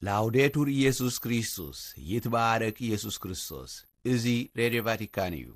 ላውዴቱር ኢየሱስ ክርስቶስ፣ ይትባረክ ኢየሱስ ክርስቶስ። እዚ ሬድዮ ቫቲካን እዩ።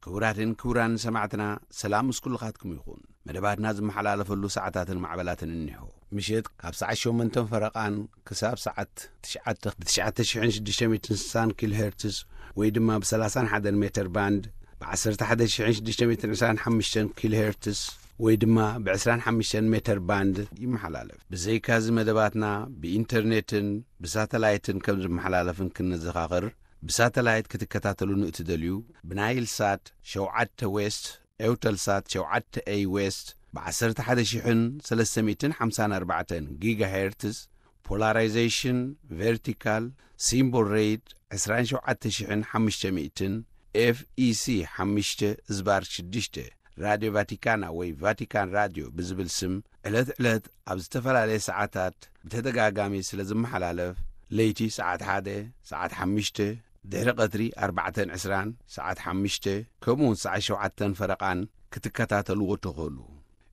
ክቡራትን ክቡራን ሰማዕትና፣ ሰላም ምስ ኩልኻትኩም ይኹን። መደባትና ዝመሓላለፈሉ ሰዓታትን ማዕበላትን እኒሆ። ምሸት ካብ ሰዓት ሸሞንተን ፈረቓን ክሳብ ሰዓት ትሽዓተ ብ ትሽዓተ ሽሕን ሽዱሽተ ሚእትን ስሳን ኪሎ ሄርትዝ ወይ ድማ ብ ሰላሳን ሓደን ሜተር ባንድ፣ ብ ዓሰርተ ሓደ ሽሕን ሽዱሽተ ሚእትን ዕስራን ሓሙሽተን ኪሎ ሄርትዝ ወይ ድማ ብ ዕስራን ሓሙሽተን ሜተር ባንድ ይመሓላለፍ። ብዘይካዚ መደባትና ብኢንተርኔትን ብሳተላይትን ከም ዝመሓላለፍን ክንዘኻኽር፣ ብሳተላይት ክትከታተሉ ንእትደልዩ፣ ብናይል ሳት ሸውዓተ ዌስት፣ ኤውተል ሳት ሸውዓተ ኤይ ዌስት፣ ብ ዓሰርተ ሓደ ሽሕን ሰለስተ ሚእትን ሓምሳን ኣርባዕተን ጊጋ ሄርትዝ፣ ፖላራይዜሽን ቨርቲካል፣ ሲምቦል ሬት ዕስራን ሸውዓተ ሽሕን ሓሙሽተ ሚእትን፣ ኤፍ ኢ ሲ ሓሙሽተ ዝባር ሽዱሽተ፣ ራድዮ ቫቲካና ወይ ቫቲካን ራድዮ ብዝብል ስም ዕለት ዕለት ኣብ ዝተፈላለየ ሰዓታት ብተደጋጋሚ ስለ ዝመሓላለፍ፣ ለይቲ ሰዓት ሓደ፣ ሰዓት ሓሙሽተ፣ ድሕሪ ቀትሪ ኣርባዕተን ዕስራን፣ ሰዓት ሓሙሽተ፣ ከምኡውን ሰዓት ሸውዓተን ፈረቓን ክትከታተልዎ ትኽእሉ።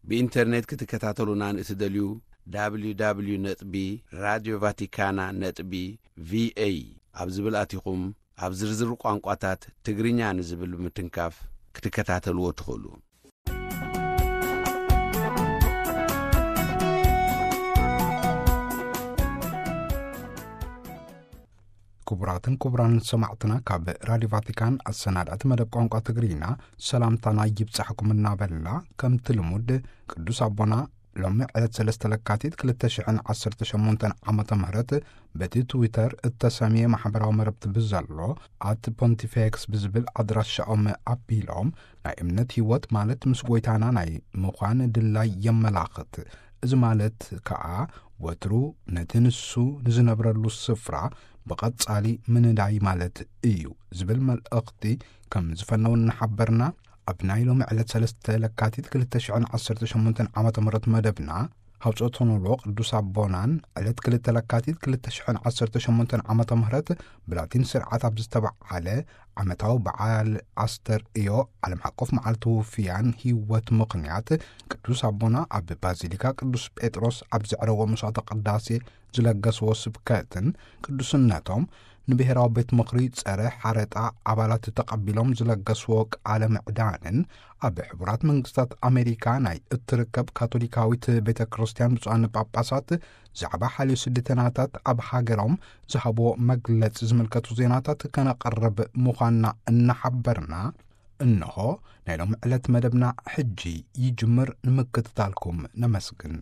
ብኢንተርኔት ክትከታተሉና ንእትደልዩ፣ ደብሊው ደብሊው ደብሊው ነጥቢ ራድዮ ቫቲካና ነጥቢ ቪ ኤ ኣብ ዝብል ኣቲኹም፣ ኣብ ዝርዝር ቋንቋታት ትግርኛ ንዝብል ብምትንካፍ ክትከታተልዎ ትኽእሉ። ክቡራትን ክቡራን ሰማዕትና፣ ካብ ራድዮ ቫቲካን ኣሰናዳእቲ መደብ ቋንቋ ትግርኛ ሰላምታና ይብጻሕኩም እናበልና፣ ከምቲ ልሙድ ቅዱስ ኣቦና ሎሚ ዕለት ሰለስተ ለካቲት ክልተ ሽሕን ዓሰርተ ሸሞንተን ዓመተ ምህረት በቲ ትዊተር እተሰምየ ማሕበራዊ መረብቲ ብዘሎ ኣት ፖንቲፌክስ ብዝብል ኣድራሻኦም ኣቢሎም፣ ናይ እምነት ህይወት ማለት ምስ ጎይታና ናይ ምዃን ድላይ የመላኽት። እዚ ማለት ከኣ ወትሩ ነቲ ንሱ ንዝነብረሉ ስፍራ ብቐጻሊ ምንዳይ ማለት እዩ ዝብል መልእኽቲ ከም ዝፈነው እናሓበርና፣ ኣብ ናይ ሎሚ ዕለት ሰለስተ ለካቲት ክልተ ሽሕን ዓሰርተ ሸሞንተን ዓመተ ምህረት መደብና ሃውጾቶኖሎ ቅዱስ ኣቦናን ዕለት ክልተ ለካቲት ክልተ ሽሕን ዓሰርተ ሸሞንተን ዓመተ ምህረት ብላቲን ስርዓት ኣብ ዝተበዓለ ዓመታዊ በዓል ኣስተርእዮ ዓለም ሓቆፍ መዓልቲ ውፍያን ህይወት ምኽንያት ቅዱስ ኣቦና ኣብ ባዚሊካ ቅዱስ ጴጥሮስ ኣብ ዘዕረዎ መስዋዕተ ቅዳሴ ዝለገስዎ ስብከትን ቅዱስነቶም ንብሔራዊ ቤት ምኽሪ ጸረ ሓረጣ ኣባላት ተቐቢሎም ዝለገስዎ ቃለ ምዕዳንን ኣብ ሕቡራት መንግስታት ኣሜሪካ ናይ እትርከብ ካቶሊካዊት ቤተ ክርስቲያን ብፁዓን ጳጳሳት ዛዕባ ሓልዮ ስደተኛታት ኣብ ሃገሮም ዝሃብዎ መግለጺ ዝምልከቱ ዜናታት ከነቕርብ ምዃንና እናሓበርና፣ እንሆ ናይ ሎሚ ዕለት መደብና ሕጂ ይጅምር። ንምክትታልኩም ነመስግን።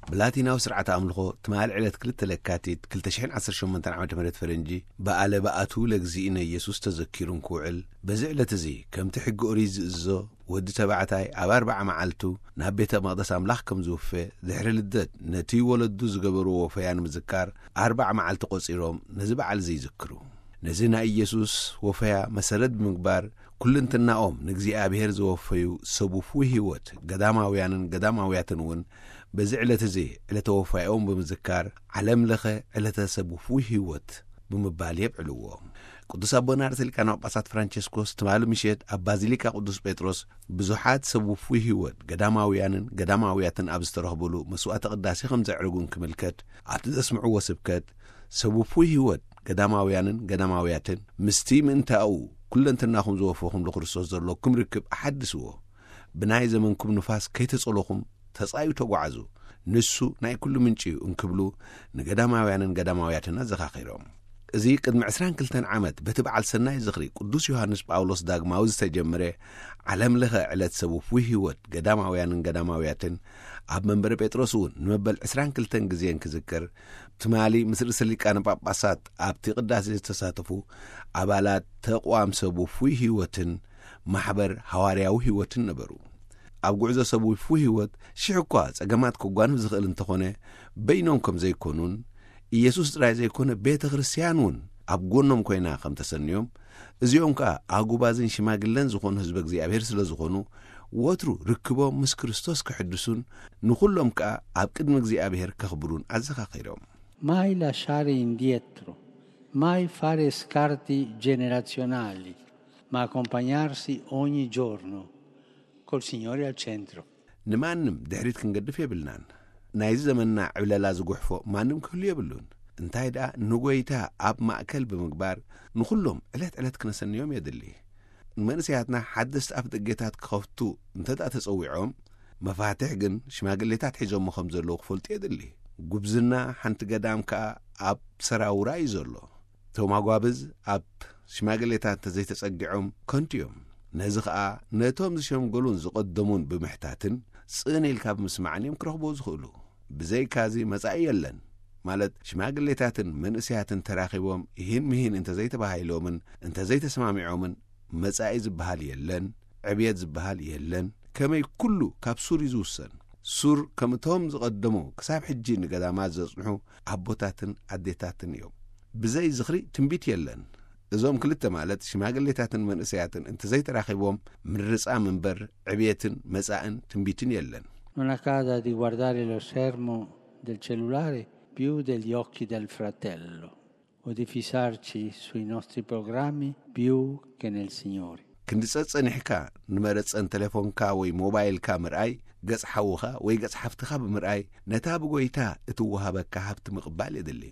ብላቲናዊ ስርዓት ኣምልኾ ትማሊ ዕለት ክልተ ለካቲት ክልተ ሽሕን ዓሰርተ ሸሞንተን ዓመተ ምህረት ፈረንጂ፣ በዓለ በዓቱ ለእግዚእነ ኢየሱስ ተዘኪሩ እንክውዕል፣ በዚ ዕለት እዚ ከምቲ ሕጊ ኦሪት ዝእዝዞ፣ ወዲ ተባዕታይ ኣብ ኣርብዓ መዓልቱ ናብ ቤተ መቕደስ ኣምላኽ ከም ዝውፈ፣ ድሕሪ ልደት ነቲ ወለዱ ዝገበርዎ ወፈያ ንምዝካር ኣርብዓ መዓልቲ ቆጺሮም ነዚ በዓል እዚ ይዝክሩ። ነዚ ናይ ኢየሱስ ወፈያ መሰረት ብምግባር፣ ኩልንትናኦም ንእግዚኣብሔር ዘወፈዩ ሰብ ውፉይ ህይወት ገዳማውያንን ገዳማውያትን እውን በዚ ዕለት እዚ ዕለተ ወፋያኦም ብምዝካር፣ ዓለም ለኸ ዕለተ ሰብ ውፉይ ህይወት ብምባል የብዕልዎ። ቅዱስ ኣቦና ርእሰ ሊቃነ ጳጳሳት ፍራንቸስኮስ ትማሊ ምሸት ኣብ ባዚሊካ ቅዱስ ጴጥሮስ ብዙሓት ሰብ ውፉይ ህይወት ገዳማውያንን ገዳማውያትን ኣብ ዝተረኽብሉ መስዋዕተ ቅዳሴ ከም ዘዕረጉ እንክምልከት፣ ኣብቲ ዘስምዕዎ ስብከት፣ ሰብ ውፉይ ህይወት ገዳማውያንን ገዳማውያትን ምስቲ ምእንታኡ ኩለንትናኹም ዝወፈኹም ለክርስቶስ ዘለኩም ርክብ ኣሓድስዎ። ብናይ ዘመንኩም ንፋስ ከይተጸለኹም ተጻዩ ተጓዓዙ። ንሱ ናይ ኩሉ ምንጪ እዩ እንክብሉ ንገዳማውያንን ገዳማውያትን ኣዘኻኺሮም። እዚ ቅድሚ ዕስራን ክልተን ዓመት በቲ በዓል ሰናይ ዝኽሪ ቅዱስ ዮሃንስ ጳውሎስ ዳግማዊ ዝተጀመረ ዓለም ለኸ ዕለት ሰብ ውፉይ ህይወት ገዳማውያንን ገዳማውያትን ኣብ መንበረ ጴጥሮስ እውን ንመበል ዕስራን ክልተን ግዜ እንክዝከር፣ ትማሊ ምስ ርእሰ ሊቃነ ጳጳሳት ኣብቲ ቅዳሴ ዝተሳተፉ ኣባላት ተቋም ሰብ ውፉይ ህይወትን ማሕበር ሃዋርያዊ ህይወትን ነበሩ። ኣብ ጉዕዞ ሰብ ውፉይ ህይወት ሽሕ እኳ ጸገማት ክጓንፍ ዝኽእል እንተኾነ፣ በይኖም ከም ዘይኮኑን፣ ኢየሱስ ጥራይ ዘይኮነ ቤተ ክርስቲያን እውን ኣብ ጎኖም ኮይና ከም ተሰንዮም፣ እዚኦም ከኣ ኣጉባዝን ሽማግለን ዝኾኑ ህዝበ እግዚኣብሔር ስለ ዝኾኑ፣ ወትሩ ርክቦም ምስ ክርስቶስ ክሕድሱን ንኹሎም ከኣ ኣብ ቅድሚ እግዚኣብሔር ከኽብሩን ኣዘኻኺሮም። Mai lasciare indietro, mai fare scarti generazionali, ma accompagnarsi ogni giorno, col Signore al centro. ንማንም ድሕሪት ክንገድፍ የብልናን። ናይዚ ዘመንና ዕብለላ ዝጉሕፎ ማንም ክህሉ የብሉን። እንታይ ደኣ ንጎይታ ኣብ ማእከል ብምግባር ንኹሎም ዕለት ዕለት ክነሰንዮም የድሊ። ንመንእሰያትና ሓደስቲ ኣፍደገታት ክኸፍቱ እንተ ደኣ ተጸዊዖም፣ መፋትሕ ግን ሽማግሌታት ሒዞሞ ከም ዘለዉ ክፈልጡ የድሊ። ጉብዝና ሓንቲ ገዳም ከኣ ኣብ ሰራውራ እዩ ዘሎ። እቶም ኣጓብዝ ኣብ ሽማግሌታት እንተዘይተጸጊዖም ከንቱ እዮም። ነዚ ኸኣ ነቶም ዝሸምገሉን ዝቐደሙን ብምሕታትን ጽን ኢልካ ብምስማዕን እዮም ክረኽብዎ ዝኽእሉ። ብዘይካዚ መጻኢ የለን። ማለት ሽማግሌታትን መንእሰያትን ተራኺቦም ይህን ምሂን እንተዘይተባሂሎምን እንተዘይተሰማሚዖምን መጻኢ ዝበሃል የለን፣ ዕብየት ዝበሃል የለን። ከመይ ኩሉ ካብ ሱር እዩ ዝውሰን። ሱር ከም እቶም ዝቐደሙ ክሳብ ሕጂ ንገዳማት ዘጽንሑ ኣቦታትን ኣዴታትን እዮም። ብዘይ ዝኽሪ ትንቢት የለን። እዞም ክልተ ማለት ሽማግሌታትን መንእሰያትን እንተዘይተራኺቦም ምርጻም እምበር ዕብየትን መጻእን ትንቢትን የለን። Non accada di guardare lo schermo del cellulare più degli occhi del fratello o di fissarci sui nostri programmi più che nel Signore. ክንዲ ጸጸኒሕካ ንመረጸን ቴሌፎንካ ወይ ሞባይልካ ምርኣይ፣ ገጽ ሓውኻ ወይ ገጽ ሓፍትኻ ብምርኣይ፣ ነታ ብጎይታ እትወሃበካ ሃብቲ ምቕባል የድሊ።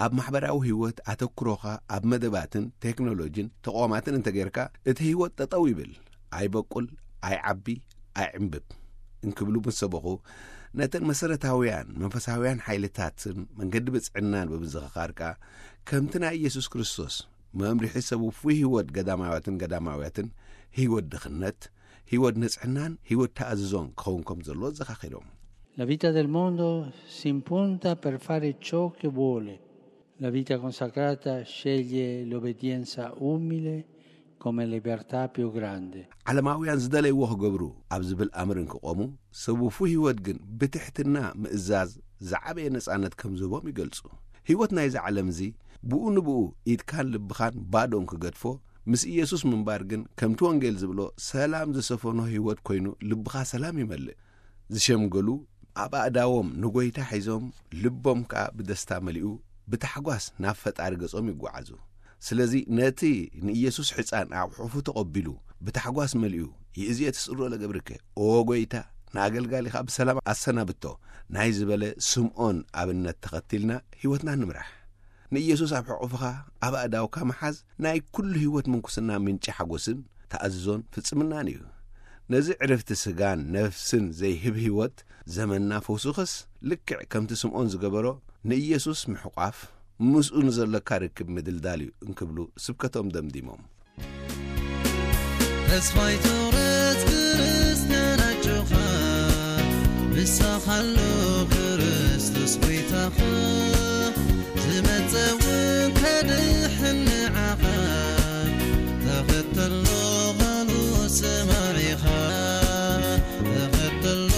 ኣብ ማሕበራዊ ህይወት ኣተኩሮኻ ኣብ መደባትን ቴክኖሎጂን ተቋማትን እንተጌርካ፣ እቲ ህይወት ጠጠው ይብል፣ ኣይበቁል፣ ኣይዓቢ፣ ኣይዕምብብ እንክብሉ ምስ ሰበኹ፣ ነተን መሰረታውያን መንፈሳውያን ሓይልታትን መንገዲ ብጽዕናን ብምዝኽኻር ከኣ፣ ከምቲ ናይ ኢየሱስ ክርስቶስ መምርሒ ሰብ ውፉይ ህይወት ገዳማውያትን ገዳማውያትን፣ ህይወት ድኽነት፣ ህይወት ንጽሕናን ህይወት ተኣዝዞን ክኸውን ከም ዘለዎ ኣዘኻኺሮም። La vita del mondo si impunta per fare ciò che vuole. La vita consacrata sceglie l'obbedienza umile come libertà più grande. ዓለማውያን ዝደለይዎ ክገብሩ ኣብ ዝብል ኣምር እንክቖሙ፣ ሰብ ውፉይ ህይወት ግን ብትሕትና ምእዛዝ ዝዓበየ ነጻነት ከም ዝህቦም ይገልጹ። ህይወት ናይዚ ዓለም እዚ ብኡ ንብኡ ኢድካን ልብኻን ባዶ እንክገድፎ፣ ምስ ኢየሱስ ምንባር ግን ከምቲ ወንጌል ዝብሎ ሰላም ዝሰፈኖ ህይወት ኮይኑ ልብኻ ሰላም ይመልእ። ዝሸምገሉ ኣብ ኣእዳዎም ንጎይታ ሒዞም፣ ልቦም ከኣ ብደስታ መሊኡ ብታሕጓስ ናብ ፈጣሪ ገጾም ይጓዓዙ። ስለዚ ነቲ ንኢየሱስ ሕጻን ኣብ ሕቑፉ ተቐቢሉ ብታሕጓስ መሊኡ፣ "ይእዜ ትስእሎ ለገብርከ፣ ኦ ጎይታ፣ ንኣገልጋሊኻ ብሰላም ኣሰናብቶ" ናይ ዝበለ ስምዖን ኣብነት ተኸቲልና ህይወትና ንምራሕ። ንኢየሱስ ኣብ ሕቑፍኻ ኣብ ኣእዳውካ ምሓዝ ናይ ኩሉ ህይወት ምንኩስና ምንጪ ሓጎስን ተኣዝዞን ፍጽምናን እዩ። ነዚ ዕረፍቲ ስጋን ነፍስን ዘይህብ ህይወት ዘመንና ፈውሱኸስ ልክዕ ከምቲ ስምዖን ዝገበሮ ንኢየሱስ ምሕቋፍ ምስኡ ንዘለካ ርክብ ምድልዳል እዩ እንክብሉ ስብከቶም ደምዲሞም። ተስፋ ይትቑረጽ ክርስትያን ኣጆኻ፣ ምሳኻ ኣሎ ክርስቶስ ጎይታኻ። ዝመጸ እውን ከድሕን ንዓኻ፣ ተኸተሎ ቓሉ ስማዕ ኢኻ፣ ተኸተሎ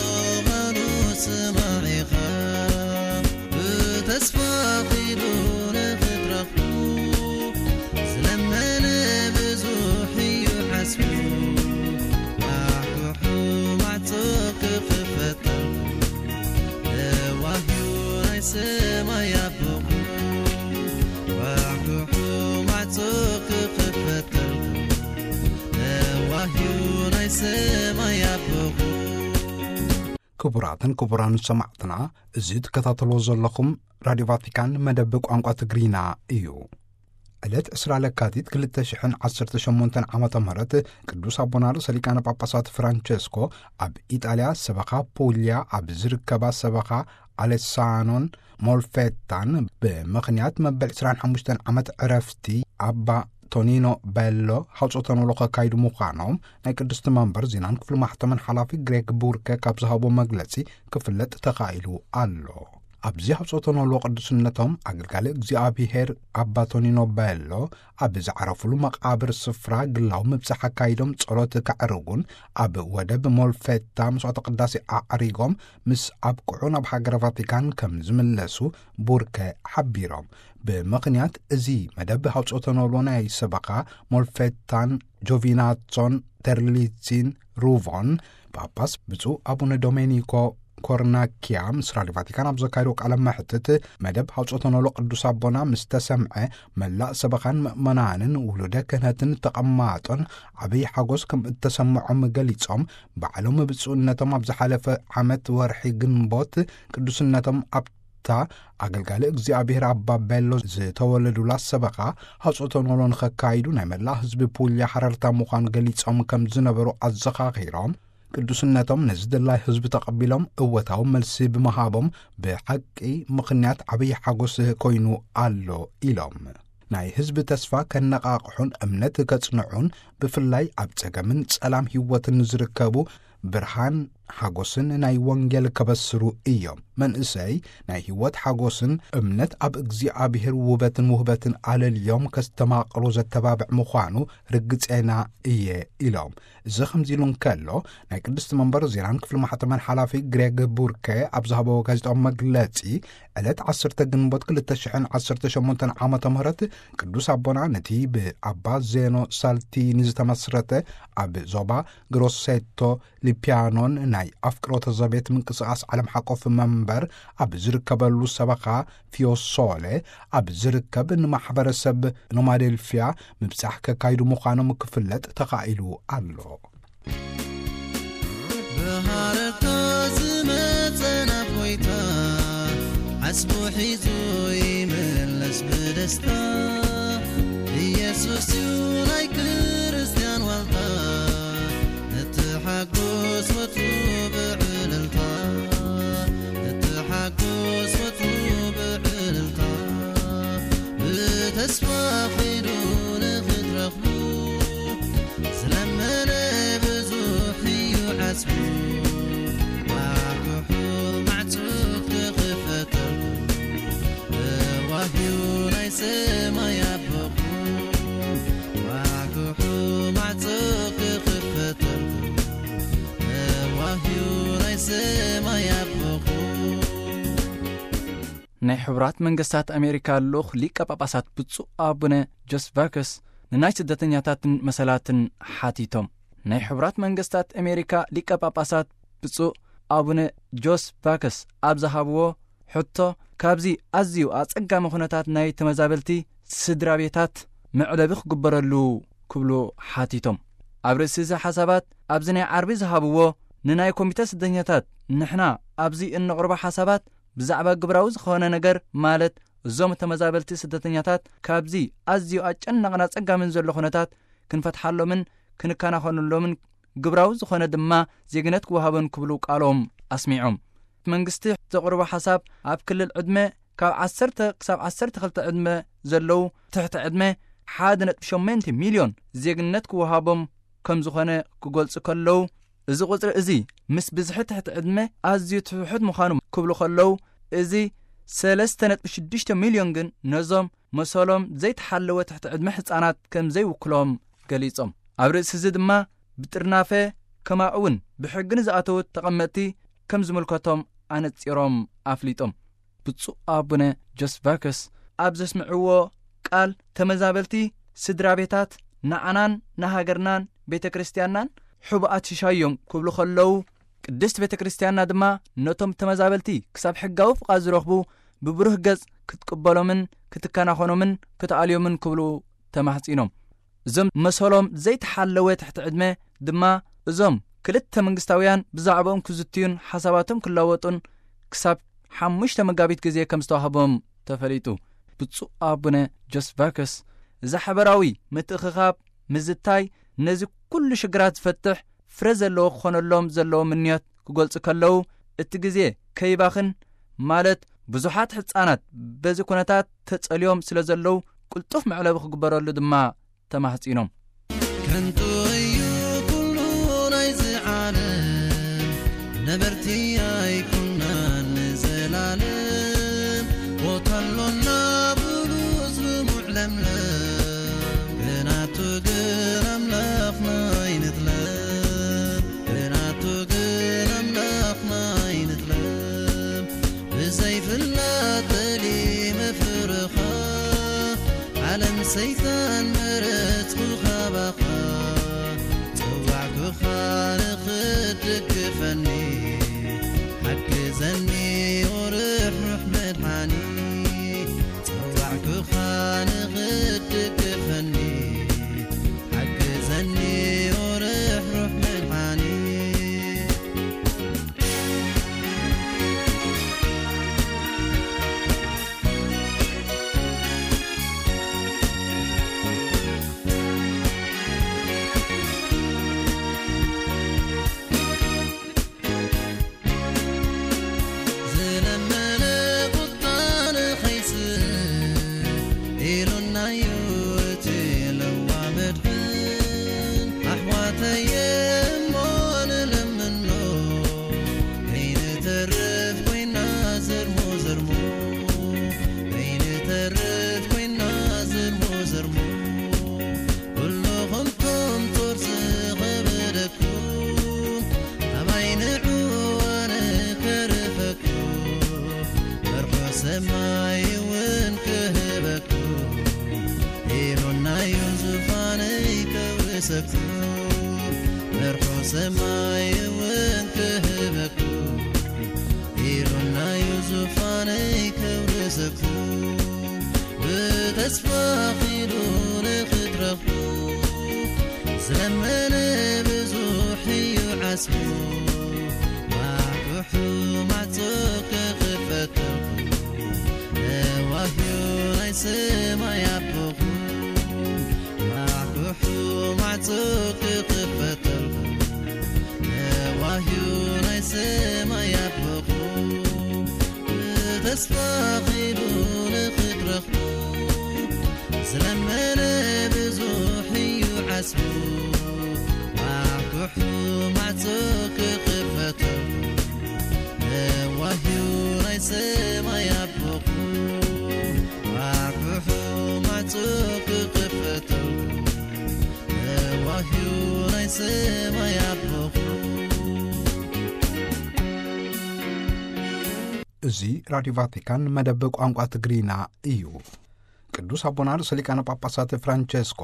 ቓሉ ስማዕ ኢኻ። ብተስፋ ኺዱ ንኽትረኽቡ፣ ዝለመነ ብዙሕ እዩ ዓስቡ። ኳሕኩሑ ማዕጾ ክኽፈተልኩም፣ ለዋህ እዩ ናይ ሰማይ ኣቦኹም። ኳሕኩሑ ማዕጾ ክኽፈተልኩም፣ ለዋህ እዩ ናይ ሰማይ ኣቦኹም። ክቡራትን ክቡራን ሰማዕትና፣ እዚ ትከታተልዎ ዘለኹም ራድዮ ቫቲካን መደብ ቋንቋ ትግርኛ እዩ። ዕለት ዕስራ ለካቲት ክልተ ሽሕን ዓሰርተ ሸሞንተን ዓመተ ምህረት ቅዱስ ኣቦና ርእሰ ሊቃነ ጳጳሳት ፍራንቸስኮ ኣብ ኢጣልያ ሰበኻ ፑልያ ኣብ ዝርከባ ሰበኻ ኣሌሳኖን ሞልፌታን ብምኽንያት መበል ዕስራን ሓሙሽተን ዓመት ዕረፍቲ ኣባ ቶኒኖ ቤሎ ሃውጾተ ኖሎ ከካይዱ ምዃኖም ናይ ቅድስቲ መንበር ዜናን ክፍሊ ማሕተምን ሓላፊ ግሬግ ቡርከ ካብ ዝሃቦ መግለጺ ክፍለጥ ተኻኢሉ ኣሎ። ኣብዚ ሃውጾተ ኖሎ ቅዱስነቶም ኣገልጋሊ እግዚኣብሔር ኣባ ቶኒኖ ቤሎ ኣብ ዝዓረፉሉ መቓብር ስፍራ ግላዊ ምብጻሕ ኣካይዶም ጸሎት ከዕርጉን ኣብ ወደብ ሞልፌታ መስዋዕተ ቅዳሴ ኣዕሪጎም ምስ ኣብቅዑ ናብ ሃገረ ቫቲካን ከም ዝምለሱ ቡርከ ሓቢሮም። ብምኽንያት እዚ መደብ ሃውጾተ ኖሎ ናይ ሰበኻ ሞልፌታን ጆቪናቶን ተርሊሲን ሩቮን ጳጳስ ብፁዕ ኣቡነ ዶሜኒኮ ኮርናኪያ ምስ ራድዮ ቫቲካን ኣብ ዘካየዶ ቃለ መሕትት፣ መደብ ሃውጾተ ኖሎ ቅዱስ ኣቦና ምስ ተሰምዐ፣ መላእ ሰበኻን ምእመናንን ውሉደ ክህነትን ተቐማጦን ዓብዪ ሓጎስ ከም እተሰምዖም ገሊጾም፣ ባዕሎም ብፁዕነቶም ኣብ ዝሓለፈ ዓመት ወርሒ ግንቦት ቅዱስነቶም ኣብታ ኣገልጋሊ እግዚኣብሔር ኣባ ቤሎ ዝተወለዱላ ሰበኻ ሃውጾተ ኖሎ ንኸካይዱ ናይ መላእ ህዝቢ ፑልያ ሓረርታ ምዃኑ ገሊጾም ከም ዝነበሩ ኣዘኻኺሮም፣ ቅዱስነቶም ነዚ ድላይ ህዝቢ ተቐቢሎም እወታዊ መልሲ ብምሃቦም ብሓቂ ምኽንያት ዓብዪ ሓጎስ ኮይኑ ኣሎ ኢሎም። ናይ ህዝቢ ተስፋ ከነቓቕሑን እምነት ከጽንዑን፣ ብፍላይ ኣብ ጸገምን ጸላም ህይወትን ዝርከቡ፣ ብርሃን ሓጎስን ናይ ወንጌል ከበስሩ እዮም። መንእሰይ ናይ ህይወት ሓጎስን እምነት ኣብ እግዚኣብሔር ውበትን ውህበትን ኣለልዮም ከስተማቕሩ ዘተባብዕ ምዃኑ ርግጼና እየ ኢሎም። እዚ ከምዚ ኢሉ እንከሎ፣ ናይ ቅድስቲ መንበር ዜናን ክፍሊ ማሕተመን ሓላፊ ግሬግ ቡርከ ኣብ ዝሃበዎ ጋዜጣዊ መግለጺ፣ ዕለት ዓሰርተ ግንቦት ክልተ ሽሕን ዓሰርተ ሸሞንተን ዓመተ ምህረት ቅዱስ ኣቦና ነቲ ብኣባ ዜኖ ሳልቲኒ ዝተመስረተ ኣብ ዞባ ግሮሴቶ ሊፒያኖን ናይ ኣፍቅሮተ ዘቤት ምንቅስቓስ ዓለም ሓቆፍ መንበር ኣብ ዝርከበሉ ሰበኻ ፊዮሶለ ኣብ ዝርከብ ንማሕበረሰብ ኖማዴልፊያ ምብጻሕ ከካይዱ ምዃኖም ክፍለጥ ተኻኢሉ ኣሎ። ብሃረርታ ዝመጸ ናብ ጎይታ፣ ዓስቡ ሒዙ ይምለስ ብደስታ። ኢየሱስ እዩ ናይ ክርስትያን ዋልታ፣ ንትሓጎስ ወትሩ ብዕልልታ፣ ንትሓጎስ ወትሩ ብዕልልታ። ብተስፋ ኺዱ ንኽትረኽቡ፣ ዝለመነ ብዙሕ እዩ ዓስቡ። ኳሕኩሑ ማዕጾ ክኽፈተልኩም፣ እዋህዩ ናይ ሰማይ ኣቦኹም። ኳሕኩሑ ማዕጾ ክኽፈተልኩም፣ እዋህዩ ናይ ሰማይ ኣቦኹም። ናይ ሕቡራት መንግስታት ኣሜሪካ ልኡኽ ሊቀ ጳጳሳት ብፁዕ ኣቡነ ጆስቫከስ ንናይ ስደተኛታትን መሰላትን ሓቲቶም። ናይ ሕቡራት መንግስታት ኣሜሪካ ሊቀ ጳጳሳት ብፁዕ ኣቡነ ጆስቫከስ ኣብ ዝሃብዎ ሕቶ፣ ካብዚ ኣዝዩ ኣጸጋሚ ኩነታት ናይ ተመዛበልቲ ስድራ ቤታት መዕለቢ ክግበረሉ ክብሉ ሓቲቶም። ኣብ ርእሲ እዚ ሓሳባት ኣብዚ ናይ ዓርቢ ዝሃብዎ ንናይ ኮሚተ ስደተኛታት ንሕና ኣብዚ እነቕርቦ ሓሳባት ብዛዕባ ግብራዊ ዝኾነ ነገር፣ ማለት እዞም ተመዛበልቲ ስደተኛታት ካብዚ ኣዝዩ ኣጨናቕን ኣጸጋምን ዘሎ ኩነታት ክንፈትሓሎምን ክንከናኸነሎምን፣ ግብራዊ ዝኾነ ድማ ዜግነት ክወሃቦን ክብሉ ቃሎም ኣስሚዖም። መንግስቲ ዘቕርቦ ሓሳብ ኣብ ክልል ዕድመ ካብ ዓሰርተ ክሳብ ዓሰርተ ክልተ ዕድመ ዘለዉ ትሕቲ ዕድመ ሓደ ነጥቢ ሸሞንተ ሚልዮን ዜግነት ክወሃቦም ከም ዝኾነ ክገልጹ ከለዉ፣ እዚ ቁጽሪ እዚ ምስ ብዝሒ ትሕቲ ዕድመ ኣዝዩ ትሑት ምዃኑ ክብሉ ከለዉ፣ እዚ ሰለስተ ነጥቢ ሽዱሽተ ሚልዮን ግን ነዞም መሰሎም ዘይተሓለወ ትሕቲ ዕድመ ህጻናት ከም ዘይውክሎም ገሊጾም። ኣብ ርእሲ እዚ ድማ ብጥርናፈ ከማኡ እውን ብሕጊ ንዝኣተዉ ተቐመጥቲ ከም ዝምልከቶም ኣነጺሮም ኣፍሊጦም። ብፁዕ ኣቡነ ጆስቫከስ ኣብ ዘስምዕዎ ቃል፣ ተመዛበልቲ ስድራ ቤታት ንዓናን ንሃገርናን ቤተ ክርስቲያንናን ሕቡኣት ሽሻይ እዮም ክብሉ ከለዉ፣ ቅድስት ቤተ ክርስቲያንና ድማ ነቶም ተመዛበልቲ ክሳብ ሕጋዊ ፍቓድ ዝረኽቡ ብብሩህ ገጽ ክትቅበሎምን ክትከናኸኖምን ክትኣልዮምን ክብሉ ተማሕጺኖም። እዞም መሰሎም ዘይተሓለወ ትሕቲ ዕድመ ድማ እዞም ክልተ መንግስታውያን ብዛዕባኦም ክዝትዩን ሓሳባቶም ክለወጡን ክሳብ ሓሙሽተ መጋቢት ግዜ ከም ዝተዋህቦም ተፈሊጡ። ብፁዕ ኣቡነ ጆስቫከስ እዚ ሓበራዊ ምትእኽኻብ ምዝታይ ነዚ ኩሉ ሽግራት ዝፈትሕ ፍረ ዘለዎ ክኾነሎም ዘለዎ ምንዮት ክገልጹ ከለዉ፣ እቲ ግዜ ከይባኽን፣ ማለት ብዙሓት ሕጻናት በዚ ኩነታት ተጸልዮም ስለ ዘለዉ ቅልጡፍ መዕለቢ ክግበረሉ ድማ ተማህጺኖም። ከንቱ እዩ ኩሉ ናይዚ ዓለም፣ ነበርቲ ኣይኩናን ንዘላለም። ቦታ ኣሎና ብሉጽ ልሙዕ ለምለም፣ ብናቱ ግን ኣምላኽና ኣይንጥለም፣ ብናቱ ግን ኣምላኽና ኣይንጥለም። ብዘይፍላጥ በሊ መፍርኻ፣ ዓለም ሰይጣን መረጽኩ ካባኻ። ጸዋዕኩኻ ንኽትድግፈኒ፣ ሓግዘኒ ኦ ርሕሩሕ መድሓኒ። ጸዋዕኩኻ ንኽትድግፈኒ፣ ሓግዘኒ ኦ ርሕሩሕ መድሓኒ። ዝለመነ ቁጣ ንኸይስእ ኢሉናዩ እቲ ለዋ መድሕን። ኣሕዋተየ እሞ ንለምኖ፣ ከይንተርፍ ኮይና ዘርሞ ዘርሞ፣ ከይንተርፍ ኮይና ዘርሞ ዘርሞ። ኩልኹም ቶም ጾር ዝኸበደኩም፣ ኣባይ ንዑ ኣነ ከርፈኩም፣ መርሖ ሰማይ እውን ክህበኩም፣ ኢሉናዩ ዙፋነይ ከውርሰኩም፣ መርሖ ሰማይ እውን ክህበኩም፣ ኢሉናዩ ዙፋነይ ከውርሰኩም። ብተስፋ ኺዱ ንኽትረኽቡ፣ ዝለመነ ብዙሕ እዩ ዓስቡ። ማዕኩሑ ማዕጾ ክኽፈተልኩም፣ ነዋህዩ ናይ ሰማይ ኣቦኹም። ማዕኩሑ ማዕጾ ክኽፈተልኩም፣ ነዋህዩ ናይ ሰማይ ኣቦኹም። ብተስፋ ኺዱ ንኽትረኽቡ፣ ዝለመነ ብዙሕ እዩ ዓስቡ። ማዕኩሑ ማዕጾ ክኽፈተልኩም፣ ነዋህዩ ናይ ሰማይ ኣቦኹም። ማዕኩሑ ማዕጾ ክኽፈተልኩም፣ ነዋህዩ ናይ ሰማይ ኣቦኹም። እዚ ራዲዮ ቫቲካን መደብ ቋንቋ ትግርኛ እዩ። ቅዱስ ኣቦና ርእሰ ሊቃነ ጳጳሳት ፍራንቸስኮ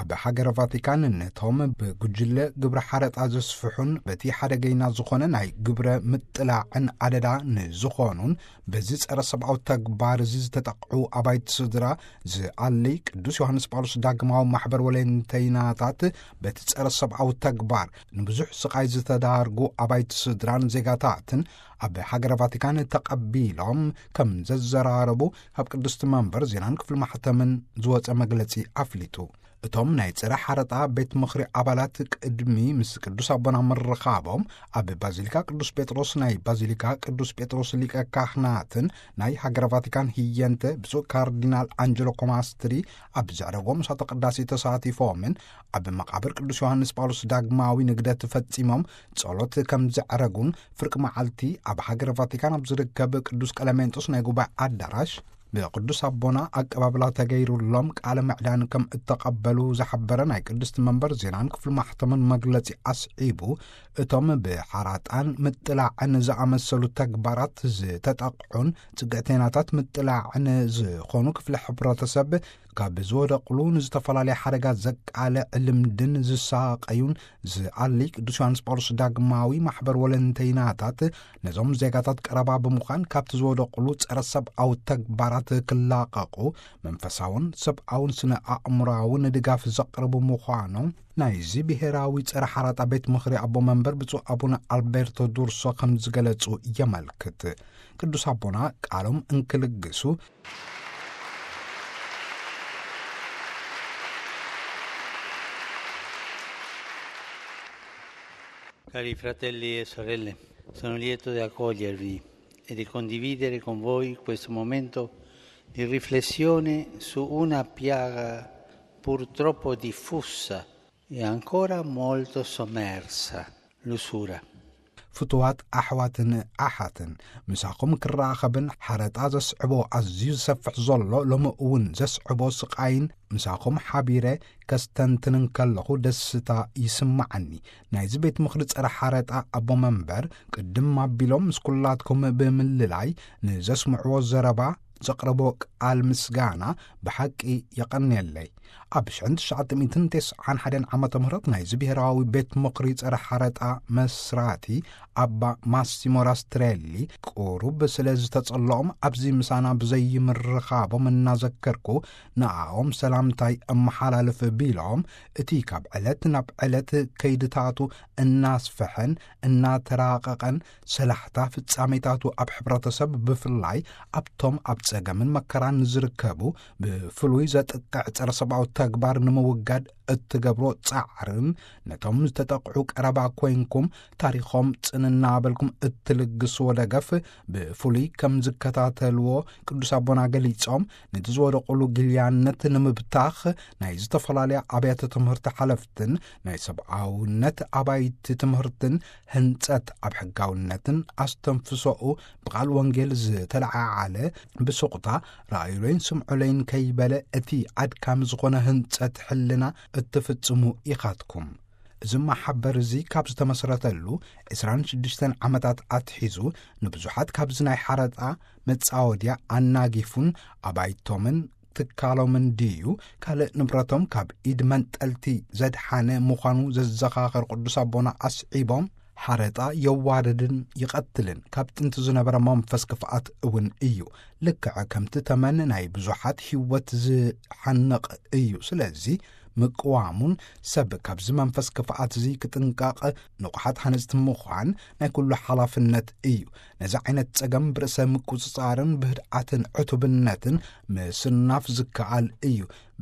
ኣብ ሃገረ ቫቲካን ነቶም ብጉጅለ ግብረ ሓረጣ ዘስፍሑን በቲ ሓደገይና ዝኾነ ናይ ግብረ ምጥላዕን ኣደዳ ንዝኾኑን በዚ ጸረ ሰብኣዊ ተግባር እዚ ዝተጠቕዑ ኣባይቲ ስድራ ዝኣሊ ቅዱስ ዮሃንስ ጳውሎስ ዳግማዊ ማሕበር ወለንተይናታት በቲ ጸረ ሰብኣዊ ተግባር ንብዙሕ ስቓይ ዝተዳርጉ ኣባይቲ ስድራን ዜጋታትን ኣብ ሃገረ ቫቲካን ተቐቢሎም ከም ዘዘራረቡ ካብ ቅድስቲ መንበር ዜናን ክፍሊ ማሕተምን ዝወጸ መግለጺ ኣፍሊጡ። እቶም ናይ ጸረ ሓረጣ ቤት ምኽሪ ኣባላት ቅድሚ ምስ ቅዱስ ኣቦና ምርኻቦም ኣብ ባዚሊካ ቅዱስ ጴጥሮስ ናይ ባዚሊካ ቅዱስ ጴጥሮስ ሊቀ ካህናትን ናይ ሃገረ ቫቲካን ህየንተ ብፁዕ ካርዲናል ኣንጀሎ ኮማስትሪ ኣብ ዘዕረጎም ምሳተ ቅዳሴ ተሳቲፎምን ኣብ መቓብር ቅዱስ ዮሃንስ ጳውሎስ ዳግማዊ ንግደት ፈጺሞም ጸሎት ከም ዘዕረጉን ፍርቂ መዓልቲ ኣብ ሃገረ ቫቲካን ኣብ ዝርከብ ቅዱስ ቀለሜንጦስ ናይ ጉባኤ ኣዳራሽ ብቅዱስ ኣቦና ኣቀባብላ ተገይሩሎም ቃለ ምዕዳን ከም እተቐበሉ ዝሓበረ ናይ ቅድስቲ መንበር ዜናን ክፍሊ ማሕተምን መግለጺ ኣስዒቡ፣ እቶም ብሓራጣን ምጥላዕን ዝኣመሰሉ ተግባራት ዝተጠቕዑን ጽግዕተይናታት ምጥላዕን ዝኾኑ ክፍሊ ሕብረተሰብ ካብ ዝወደቕሉ ንዝተፈላለየ ሓደጋ ዘቃልዕ ልምድን ዝሳቐዩን ዝኣሊ ቅዱስ ዮሃንስ ጳውሎስ ዳግማዊ ማሕበር ወለንተይናታት ነዞም ዜጋታት ቀረባ ብምዃን ካብቲ ዝወደቕሉ ጸረ ሰብኣዊ ተግባራት ክላቐቑ መንፈሳውን ሰብኣውን ስነ ኣእምሮኣውን ድጋፍ ዘቕርቡ ምዃኖም ናይዚ ብሄራዊ ጸረ ሓራጣ ቤት ምኽሪ ኣቦ መንበር ብፁዕ ኣቡነ ኣልቤርቶ ዱርሶ ከም ዝገለጹ የመልክት። ቅዱስ ኣቦና ቃሎም እንክልግሱ፣ Cari fratelli e sorelle, sono lieto di accogliervi e di condividere con voi questo momento di riflessione su una piaga purtroppo diffusa e ancora molto sommersa, l'usura. ፍቱዋት ኣሕዋትን ኣሓትን፣ ምሳኹም ክራኸብን ሓረጣ ዘስዕቦ ኣዝዩ ዝሰፍሕ ዘሎ፣ ሎሚ እውን ዘስዕቦ ስቓይን ምሳኹም ሓቢረ ከስተንትንን ከለኹ ደስታ ይስማዓኒ። ናይዚ ቤት ምኽሪ ጸረ ሓረጣ ኣቦ መንበር ቅድም ኣቢሎም ምስ ኩላትኩም ብምልላይ ንዘስምዕዎ ዘረባ ዘቕረቦ ቃል ምስጋና ብሓቂ የቐንየለይ። ኣብ ሽሕን ትሽዓተ ሚእትን ተስዓን ሓደን ዓመተ ምህረት ናይዚ ብሄራዊ ቤት ምኽሪ ጸረ ሓረጣ መስራቲ ኣባ ማሲሞ ራስትሬሊ ቁሩብ ስለ ዝተጸለኦም፣ ኣብዚ ምሳና ብዘይምርኻቦም እናዘከርኩ፣ ንኣኦም ሰላምታይ እመሓላልፍ ቢሎም፣ እቲ ካብ ዕለት ናብ ዕለት ከይድታቱ እናስፈሐን እናተራቐቐን ሰላሕታ ፍጻሜታቱ ኣብ ሕብረተሰብ፣ ብፍላይ ኣብቶም ኣብ ጸገምን መከራን ዝርከቡ፣ ብፍሉይ ዘጥቅዕ ጸረ ሰብኣዊ ተግባር ንምውጋድ እትገብሮ ጻዕርን፣ ነቶም ዝተጠቕዑ ቀረባ ኮይንኩም ታሪኾም ጽን እናበልኩም እትልግስዎ ደገፍ ብፍሉይ ከም ዝከታተልዎ ቅዱስ ኣቦና ገሊጾም፣ ነቲ ዝወደቑሉ ግልያነት ንምብታኽ ናይ ዝተፈላለያ ኣብያተ ትምህርቲ ሓለፍትን ናይ ሰብኣውነት ኣባይቲ ትምህርትን ህንጸት ኣብ ሕጋውነትን ኣስተንፍሶኡ ብቓል ወንጌል ዝተለዓዓለ፣ ብሱቕታ ረኣዩለይን ስምዑለይን ከይበለ እቲ ኣድካሚ ዝኾነ ህንጸት ሕልና እትፍጽሙ ኢኻትኩም። እዚ ማሕበር እዚ ካብ ዝተመስረተሉ ዕስራን ሽዱሽተን ዓመታት ኣትሒዙ፣ ንብዙሓት ካብዚ ናይ ሓረጣ መጻወድያ ኣናጊፉን ኣባይቶምን ትካሎምን ድዩ ካልእ ንብረቶም ካብ ኢድ መንጠልቲ ዘድሓነ ምዃኑ ዘዘኻኸር ቅዱስ ኣቦና ኣስዒቦም፣ ሓረጣ የዋርድን ይቐትልን፣ ካብ ጥንቲ ዝነበረ መንፈስ ክፍኣት እውን እዩ። ልክዕ ከምቲ ተመን ናይ ብዙሓት ህይወት ዝሓንቕ እዩ። ስለዚ ምቅዋሙን ሰብ ካብዚ መንፈስ ክፍኣት እዚ ክጥንቀቕ ንቑሓት ሃነጽቲ ምዃን ናይ ኩሉ ሓላፍነት እዩ። ነዚ ዓይነት ጸገም ብርእሰ ምቁጽጻርን ብህድኣትን ዕቱብነትን ምስናፍ ዝከኣል እዩ።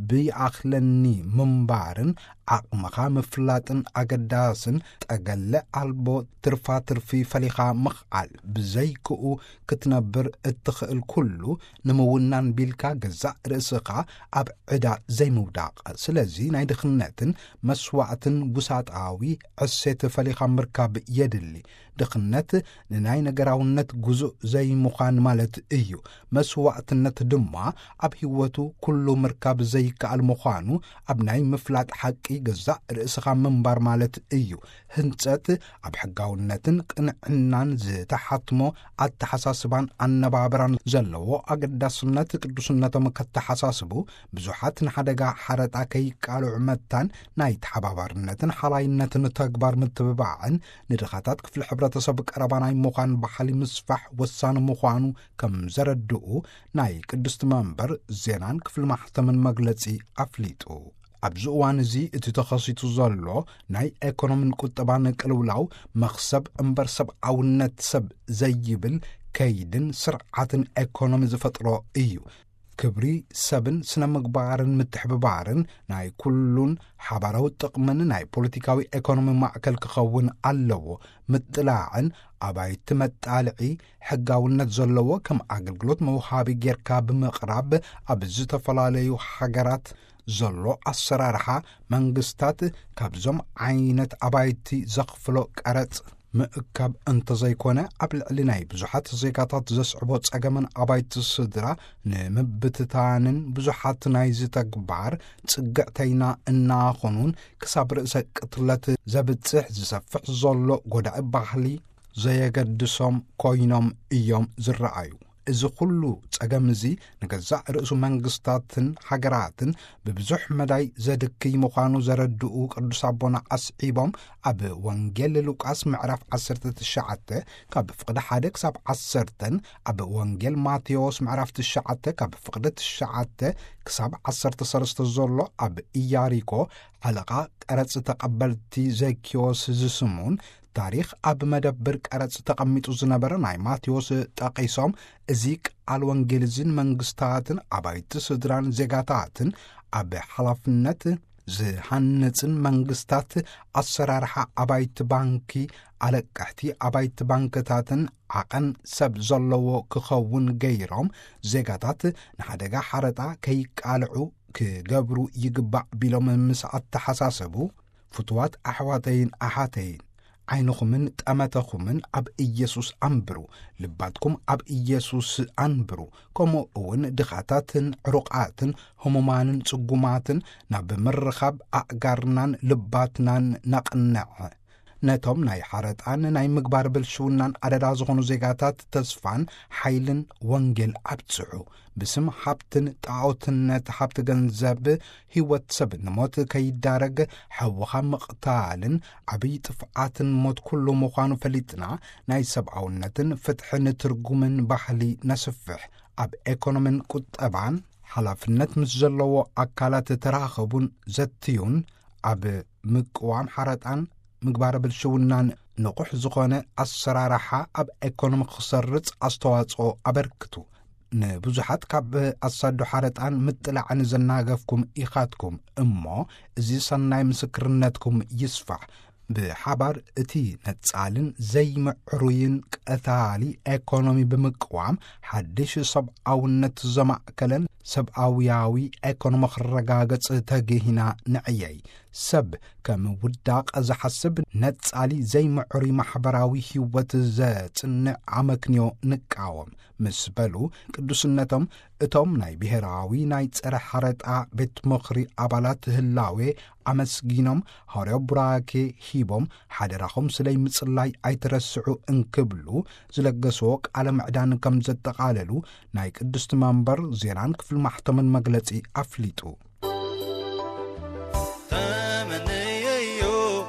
ብይኣኽለኒ ምንባርን ዓቕምኻ ምፍላጥን ኣገዳስን፣ ጠገለ ኣልቦ ትርፋ ትርፊ ፈሊኻ ምኽኣል ብዘይክኡ ክትነብር እትኽእል ኩሉ ንምውናን ቢልካ ገዛእ ርእስኻ ኣብ ዕዳ ዘይምውዳቕ። ስለዚ ናይ ድኽነትን መስዋዕትን ውሳጣዊ ዕሴት ፈሊኻ ምርካብ የድሊ። ድኽነት ንናይ ነገራውነት ግዙእ ዘይምዃን ማለት እዩ። መስዋዕትነት ድማ ኣብ ህይወቱ ኩሉ ምርካብ ዘይከኣል ምዃኑ ኣብ ናይ ምፍላጥ ሓቂ ገዛእ ርእስኻ ምንባር ማለት እዩ። ህንጸት ኣብ ሕጋውነትን ቅንዕናን ዝተሓትሞ ኣተሓሳስባን ኣነባብራን ዘለዎ ኣገዳስነት ቅዱስነቶም ከተሓሳስቡ፣ ብዙሓት ንሓደጋ ሓረጣ ከይቃልዑ መታን ናይ ተሓባባርነትን ሓላይነትን ተግባር ምትብባዕን ንድኻታት ክፍሊ ሕብረተሰብ ቀረባ ናይ ምዃን ባህሊ ምስፋሕ ወሳኒ ምዃኑ ከም ዘረድኡ ናይ ቅድስቲ መንበር ዜናን ክፍሊ ማሕተምን መግለጺ ኣፍሊጡ። ኣብዚ እዋን እዚ እቲ ተኸሲቱ ዘሎ ናይ ኤኮኖምን ቁጠባን ቅልውላው መኽሰብ እምበር ሰብኣውነት ሰብ ዘይብል ከይድን ስርዓትን ኤኮኖሚ ዝፈጥሮ እዩ። ክብሪ ሰብን ስነ ምግባርን ምትሕብባርን ናይ ኩሉን ሓባራዊ ጥቕምን ናይ ፖለቲካዊ ኤኮኖሚ ማእከል ክኸውን ኣለዎ። ምጥላዕን ኣባይቲ መጣልዒ ሕጋውነት ዘለዎ ከም ኣገልግሎት መውሃቢ ጌርካ ብምቕራብ ኣብ ዝተፈላለዩ ሃገራት ዘሎ ኣሰራርሓ መንግስታት ካብዞም ዓይነት ኣባይቲ ዘኽፍሎ ቀረጽ ምእካብ እንተዘይኮነ ኣብ ልዕሊ ናይ ብዙሓት ዜጋታት ዘስዕቦ ጸገምን ኣባይቲ ስድራ ንምብትታንን ብዙሓት ናይዚ ተግባር ጽግዕተይና እናኾኑን ክሳብ ርእሰ ቅትለት ዘብጽሕ ዝሰፍሕ ዘሎ ጎዳኢ ባህሊ ዘየገድሶም ኮይኖም እዮም ዝረኣዩ። እዚ ኩሉ ጸገም እዚ ንገዛእ ርእሱ መንግስታትን ሃገራትን ብብዙሕ መዳይ ዘድክይ ምዃኑ ዘረድኡ ቅዱስ ኣቦና ኣስዒቦም፣ ኣብ ወንጌል ሉቃስ ምዕራፍ ዓሰርተ ትሽዓተ ካብ ፍቕዲ ሓደ ክሳብ ዓሰርተን፣ ኣብ ወንጌል ማቴዎስ ምዕራፍ ትሽዓተ ካብ ፍቕዲ ትሽዓተ ክሳብ ዓሰርተ ሰለስተ ዘሎ ኣብ ኢያሪኮ ሓለቓ ቀረጽ ተቐበልቲ ዘኪዮስ ዝስሙን ታሪኽ ኣብ መደብር ቀረጽ ተቐሚጡ ዝነበረ ናይ ማቴዎስ ጠቒሶም፣ እዚ ቃል ወንጌል እዚ ንመንግስታትን ኣባይቲ ስድራን ዜጋታትን ኣብ ሓላፍነት ዝሃንጽን መንግስታት ኣሰራርሓ ኣባይቲ ባንኪ፣ ኣለቀሕቲ ኣባይቲ ባንክታትን ዓቐን ሰብ ዘለዎ ክኸውን ገይሮም፣ ዜጋታት ንሓደጋ ሓረጣ ከይቃልዑ ክገብሩ ይግባእ ቢሎም ምስ ኣተሓሳሰቡ፣ ፍቱዋት ኣሕዋተይን ኣሓተይን፣ ዓይንኹምን ጠመተኹምን ኣብ ኢየሱስ ኣንብሩ፣ ልባትኩም ኣብ ኢየሱስ ኣንብሩ፣ ከምኡ እውን ድኻታትን ዕሩቓትን ህሙማንን ጽጉማትን ናብ ምርኻብ ኣእጋርናን ልባትናን ነቕንዕ። ነቶም ናይ ሓረጣን ናይ ምግባር ብልሽውናን ኣደዳ ዝኾኑ ዜጋታት ተስፋን ሓይልን ወንጌል ኣብጽሑ። ብስም ሃብትን ጣዖትነት ሃብቲ ገንዘብ ህይወት ሰብ ንሞት ከይዳረግ፣ ሕውኻ ምቕታልን ዓብዪ ጥፍኣትን ሞት ኩሉ ምዃኑ ፈሊጥና፣ ናይ ሰብኣውነትን ፍትሕን ትርጉምን ባህሊ ነስፍሕ። ኣብ ኤኮኖምን ቁጠባን ሓላፍነት ምስ ዘለዎ ኣካላት ተራኸቡን ዘትዩን። ኣብ ምቅዋም ሓረጣን ምግባረ ብልሽውናን ንቑሕ ዝኾነ ኣሰራርሓ ኣብ ኤኮኖሚ ክሰርጽ ኣስተዋጽኦ ኣበርክቱ። ንብዙሓት ካብ ኣሳዶ ሓረጣን ምጥላዕን ዘናገፍኩም ኢኻትኩም እሞ፣ እዚ ሰናይ ምስክርነትኩም ይስፋሕ። ብሓባር እቲ ነጻልን ዘይምዕሩይን ቀታሊ ኤኮኖሚ ብምቅዋም፣ ሓድሽ ሰብኣውነት ዘማእከለን ሰብኣውያዊ ኤኮኖሚ ክረጋገጽ ተግሂና ንዕየይ። ሰብ ከም ውዳቕ ዝሓስብ፣ ነጻሊ ዘይምዕሩይ ማሕበራዊ ህይወት ዘጽንዕ ኣመክንዮ ንቃወም ምስ በሉ፣ ቅዱስነቶም እቶም ናይ ብሔራዊ ናይ ጸረ ሓረጣ ቤት ምኽሪ ኣባላት ህላዌ ኣመስጊኖም፣ ሃዋርያዊ ቡራኬ ሂቦም፣ ሓደራኹም ስለይ ምጽላይ ኣይትረስዑ እንክብሉ ዝለገስዎ ቃለ ምዕዳን ከም ዘጠቓለሉ ናይ ቅድስቲ መንበር ዜናን ክፍል ማሕተምን መግለጺ ኣፍሊጡ። ተመንየዮ፣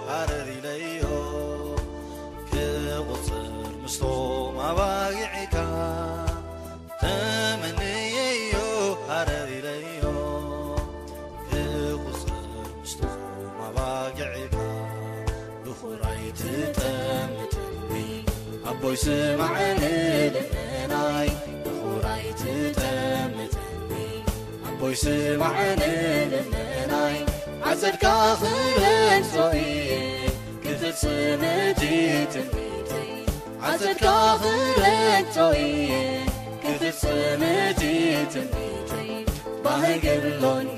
ሃረር ኢለዮ፣ ክቑጽር ምስቶም ኣባጊዕካ። ተመንየዮ፣ ሃረር ኢለዮ፣ ክቑጽር ምስቶም ኣባጊዕካ። ብኹራይ ትጠምተኒ፣ ኣቦይ ስማዕ ንልመናይ። ብኹራይ ትጠምተኒ፣ ኣቦይ ስማዕ ንልመናይ። ዓጸድካ ክረግጾ እየ፣ ክፍጽም እቲ ትንቢተይ። ዓጸድካ ክረግጾ እየ፣ ክፍጽም እቲ ትንቢተይ። ባህጊ ኣሎኒ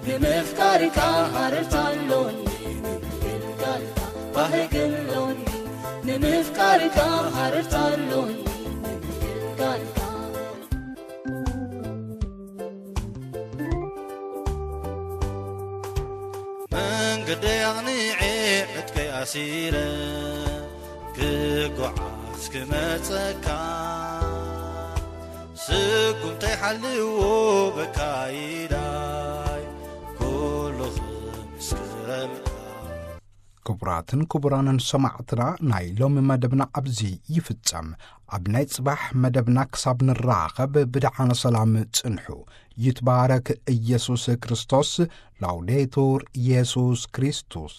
ንምፍቃርካ፣ ሃረርታ ኣሎኒ ንምግልጋልካ። ባህጊ ኣሎኒ ንምፍቃርካ፣ ሃረርታ ኣሎኒ ንምግልጋልካ። መንገደይ ኣቕኒዐ፣ ዕጥቀይ ኣሲረ፣ ክጓዓዝ ክመጸካ። ስጉምተይ ሓልዎ በካይዳይ፣ ኩሉ ክምስክረልካ። ክቡራትን ክቡራንን ሰማዕትና፣ ናይ ሎሚ መደብና ኣብዚ ይፍጸም። ኣብ ናይ ጽባሕ መደብና ክሳብ ንራኸብ ብደሓነ ሰላም ጽንሑ። ይትባረክ ኢየሱስ ክርስቶስ። ላውዴቱር ኢየሱስ ክርስቶስ።